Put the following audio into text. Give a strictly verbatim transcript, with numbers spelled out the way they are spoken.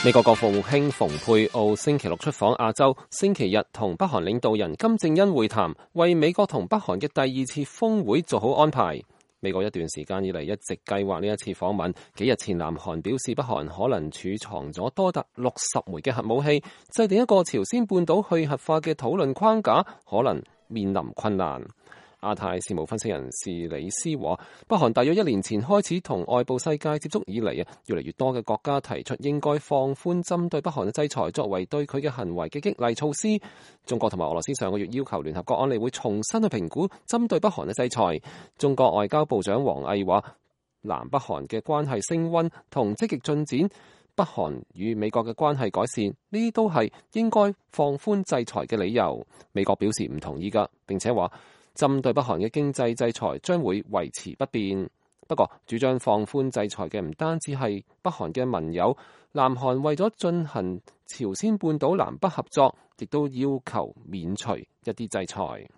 美國國務卿蓬佩奧星期六出訪亞洲，星期日同北韓領導人金正恩會談，為美國同北韓嘅第二次峰會做好安排。美國一段時間以嚟一直計劃呢一次訪問，幾日前南韓表示北韓可能儲藏咗多達六十枚嘅核武器，制定一個朝鮮半島去核化嘅討論框架，可能面臨困難。亞太事務分析人士李斯話，北韓大約一年前開始同外部世界接觸以嚟啊，越嚟越多嘅國家提出應該放寬針對北韓嘅制裁，作為對佢嘅行為嘅激勵措施。中國同埋俄羅斯上個月要求聯合國安理會重新去評估針對北韓嘅制裁。中國外交部長王毅話，南北韓嘅關係升溫同積極進展，北韓與美國嘅關係改善，呢啲都係應該放寬制裁嘅理由。美國表示唔同意㗎，並且話，針對北韓嘅經濟制裁將會維持不變。不過，主張放寬制裁嘅唔單止係北韓嘅盟友，南韓為咗進行朝鮮半島南北合作，亦都要求免除一啲制裁。